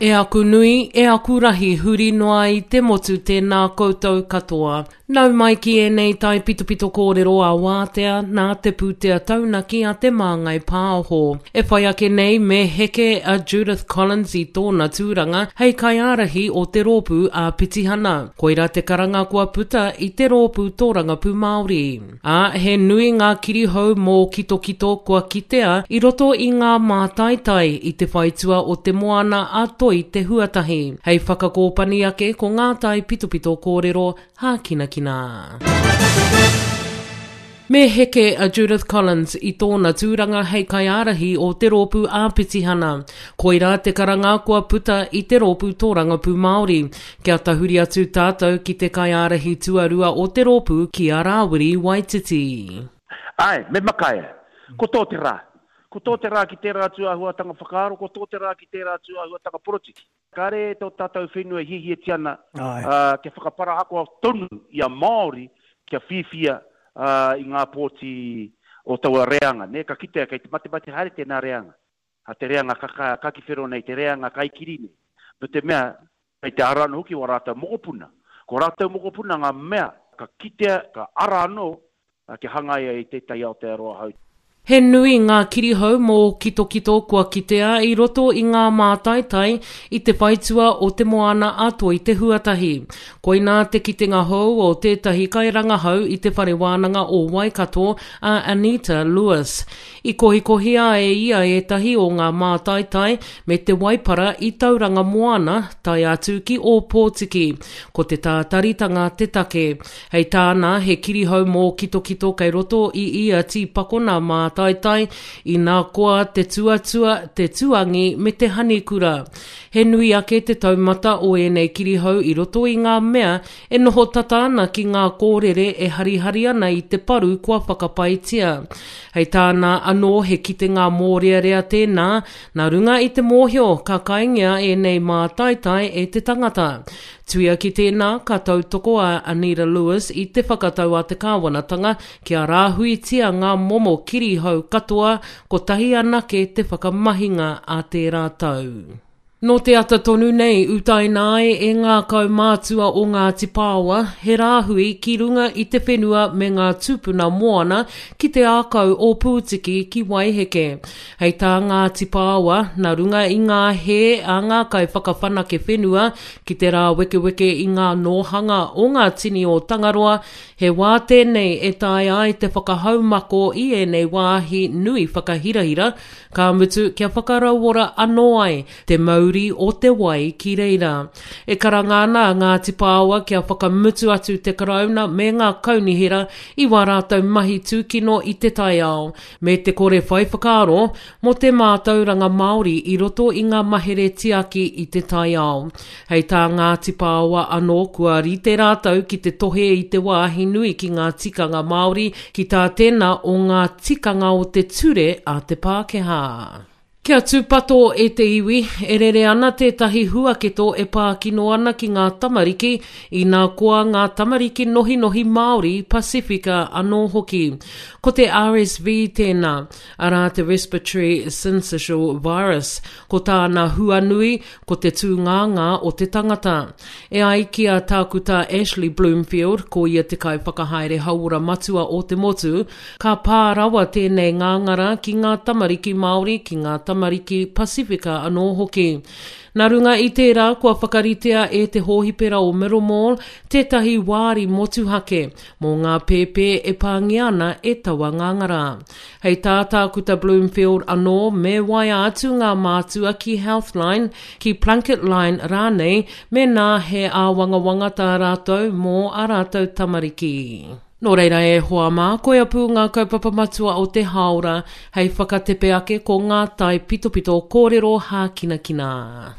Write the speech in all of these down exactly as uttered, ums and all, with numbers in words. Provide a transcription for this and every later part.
E aku nui, e aku rahi huri noa i te motu tēnā koutou katoa. Nau mai ki ēnei tai pitopito kōrero a wātea nā te pūtea taunaki a te Māngai Pāho. E whai ake nei me heke a Judith Collins i tōna tūranga hei kaiārahi o te rōpū a Pitihana. Koira te karanga kua puta i te rōpū tōrangapū Māori. Ā, he nui ngā kirihou mō kitokito kua kitea i roto i ngā mātaitai i te whaitua o te moana a Toi te Huatahi. Hei whakakōpani ake ko ngā tai pitopito kōrero hākinakina. Me heke a Judith Collins i tōna tūranga hei kaiārahi o te rōpū ā-pitihana. Koirā te karanga kua puta i te rōpū tōrangapū Māori. Kia tahuri atu tātou ki te kaiārahi tuarua o te rōpū ki a Rāwiri Waititi. Āe, me makaia. Ko tō te rā. Ko tō te rā ki tērā tūāhuatanga whakaaro, ko tō te rā ki tērā tūāhuatanga porotiki. Kāre tō tātou whenua e hiahiatia ana kia whakaparahako tonu i a Māori kia whiwhia i ngā pōti o taua reanga. Nē, ka kitea kei te matemate haere tēnā reanga, te reanga kakiwhero nei, te reanga kaikiri nei. Nō te mea, kei te ara anō hoki wā rātou mokopuna. Ko rātou mokopuna ngā mea ka kitea, ka ara anō kia hangaia i tētahi Aotearoa hou. He nui ngā kirihou mō kitokito kua kitea i roto i ngā mātaitai i te whaitua o te moana a Toi te Huatahi. Koinā te kitenga hou o tētahi kairangahau i te Whare Wānanga o Waikato, a Anita Lewis. I kohikohia e ia ētahi o ngā mātaitai me te waipara i Tauranga Moana tae atu ki Ōpōtiki. Ko te tātaritanga te take. Hei tāna, he kirihou mōkitokito kei roto i ia tīpakona mātaitai, inā koa te tuatua, te tuangi me te hanikura. He nui ake te taumata o ēnei kirihou i roto i ngā mea e noho tata ana ki ngā kōrere e harihari ana i te paru kua whakapaitia. Hei tāna anō he kitenga mōrearea tēnā, nā runga i te mōhio ka kaingia ēnei mātaitai e te tangata. Tuia ki tēnā, ka tautoko a Anita Lewis i te whakatau a te kāwanatanga kia rāhuitia ngā momo kirihou katoa, kotahi anake te whakamahinga a tērā tau. Nō te ata tonu nei, utaina ai e ngā kaumātua o Ngāti Pāoa, he rāhui ki runga i te whenua me ngā tūpuna moana ki te ākau o Pūtiki ki Waiheke. Hei tā Ngāti Pāoa, nā runga i ngā hē a ngā kaiwhakawhanake whenua ki te rāwekeweke i ngā nōhanga o ngā tini o Tangaroa, he wā tēnei e taea ai te whakahaumako i ēnei wāhi nui whakahirahira, ka mutu kia whakarauora anō ai te mauri o te wai ki reira. E karanga ana a Ngāti Pāoa kia whakamutu atu te Karauna me ngā kaunihera i wā rātou mahi tūkino i te taiao, me te kore whai whakaaro mō te mātauranga Māori i roto i ngā mahere tiaki i te taiao. Hei tā Ngāti Pāoa anō kua rite rātou ki te tohe i te wāhi nui ki ngā tikanga Māori ki tā tēnā o ngā tikanga o te ture a te Pākehā. Kia tūpato e te iwi, e rere ana tētahi huaketo e pākino ana ki ngā tamariki, inā koa ngā tamariki nohinohi Māori, Pasifika anō hoki. Ko te R S V tēnā, arā te Respiratory Syncytial Virus, ko tāna huanui, ko te tūngāngā o te tangata. E ai ki a Tākuta Ashley Bloomfield, ko ia te kaiwhakahaere hauora matua o te motu, ka pā rawa tēnei ngāngara ki ngā tamariki Māori, ki ngā tamariki Pasifika anō hoki. Nā runga i tērā, kua whakaritea e te hōhipera o Middlemore tētahi wāri motuhake mō ngā pēpē e pāngia ana e taua ngāngara. Hei tā Tākuta Bloomfield anō, me waia atu ngā mātua ki Healthline, ki Plunket Line rānei, mēnā he āwangawanga tā rātou mō a rātou tamariki. Nō reira e hoa mā, koia pū ngā kaupapa matua o te hāora, hei whakatepe ake ko ngā tai pitopito kōrero hākinakina.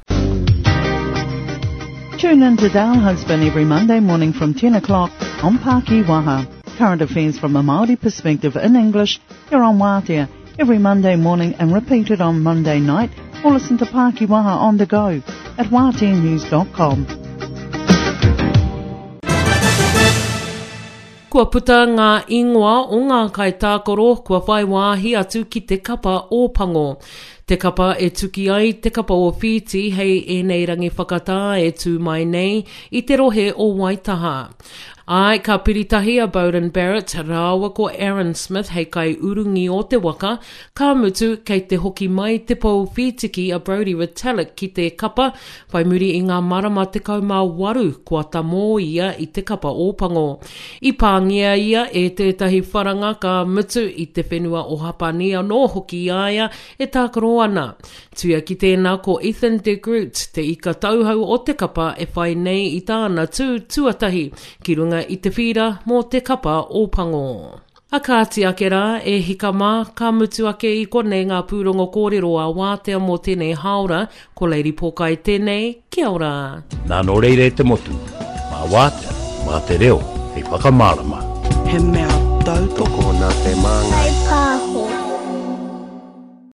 Tune in to Dale Husband every Monday morning from ten o'clock on Pākī Waha. Current affairs from a Māori perspective in English here on Wātea every Monday morning and repeated on Monday night, or listen to Pākī Waha on the go at wātea news dot com. Kua puta ngā ingoa o ngā kaitākaro kua whai wāhi atu ki te kapa Ōpango. Te kapa e tuki ai te kapa o Whītī hei ēnei rangi whakatā e tū mai nei i te rohe o Waitaha. Āe, ka piritahi a Beauden Barrett rāua ko Aaron Smith hei kaiurungi o te waka, ka mutu kei te hoki mai te pou whītiki a Brodie Retallick ki te kapa whai muri i ngā marama tekau mā waru kua tamō ia i te kapa Ōpango. I pāngia ia e tētahi wharanga ka mutu i te whenua o Hapani anō hoki i a ia e tākaro ana. Tuia ki tēnā ko Ethan de Groot, te ika tauhou o te kapa e whai nei i tāna tū tuatahi ki runga i te whīra mō te kapa Ōpango. A kāti ake rā, e hika mā, ka mutu ake i konei ngā pūrongo kōrero a Wātea mō tēnei hāora, ko Lady Pōkai tēnei, kia ora. Nā nō reira e te motu, mā Wātea, mā te reo, hei whakamārama. He mea tautoko nā te māngai. Pāho.